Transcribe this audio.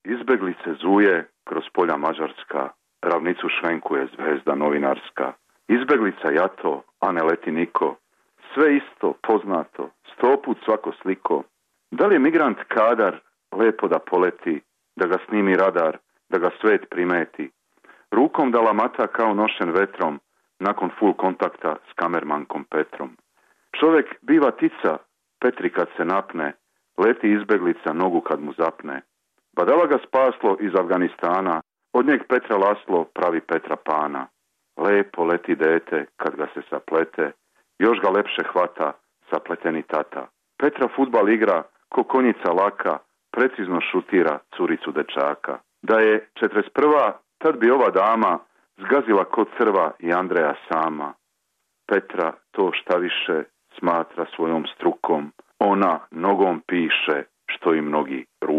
Izbeglice zuje kroz polja Mađarska, ravnicu švenkuje zvezda novinarska. Izbeglica jato, a ne leti niko, sve isto, poznato, 100 put svako sliko. Da li je migrant kadar lepo da poleti, da ga snimi radar, da ga svet primeti? Rukom da lamata kao nošen vetrom, nakon full kontakta s kamermankom Petrom. Čovjek biva tica, Petri kad se napne, leti izbeglica nogu kad mu zapne. Badala ga spaslo iz Afganistana, od njeg Petra Laslo pravi Petra Pana. Lepo leti dete kad ga se saplete, još ga lepše hvata sapleteni tata. Petra fudbal igra ko konjica laka, precizno šutira curicu dečaka. Da je 41. tad bi ova dama zgazila kod crva i Andreja sama. Petra to šta više smatra svojom strukom, ona nogom piše što i mnogi rukom.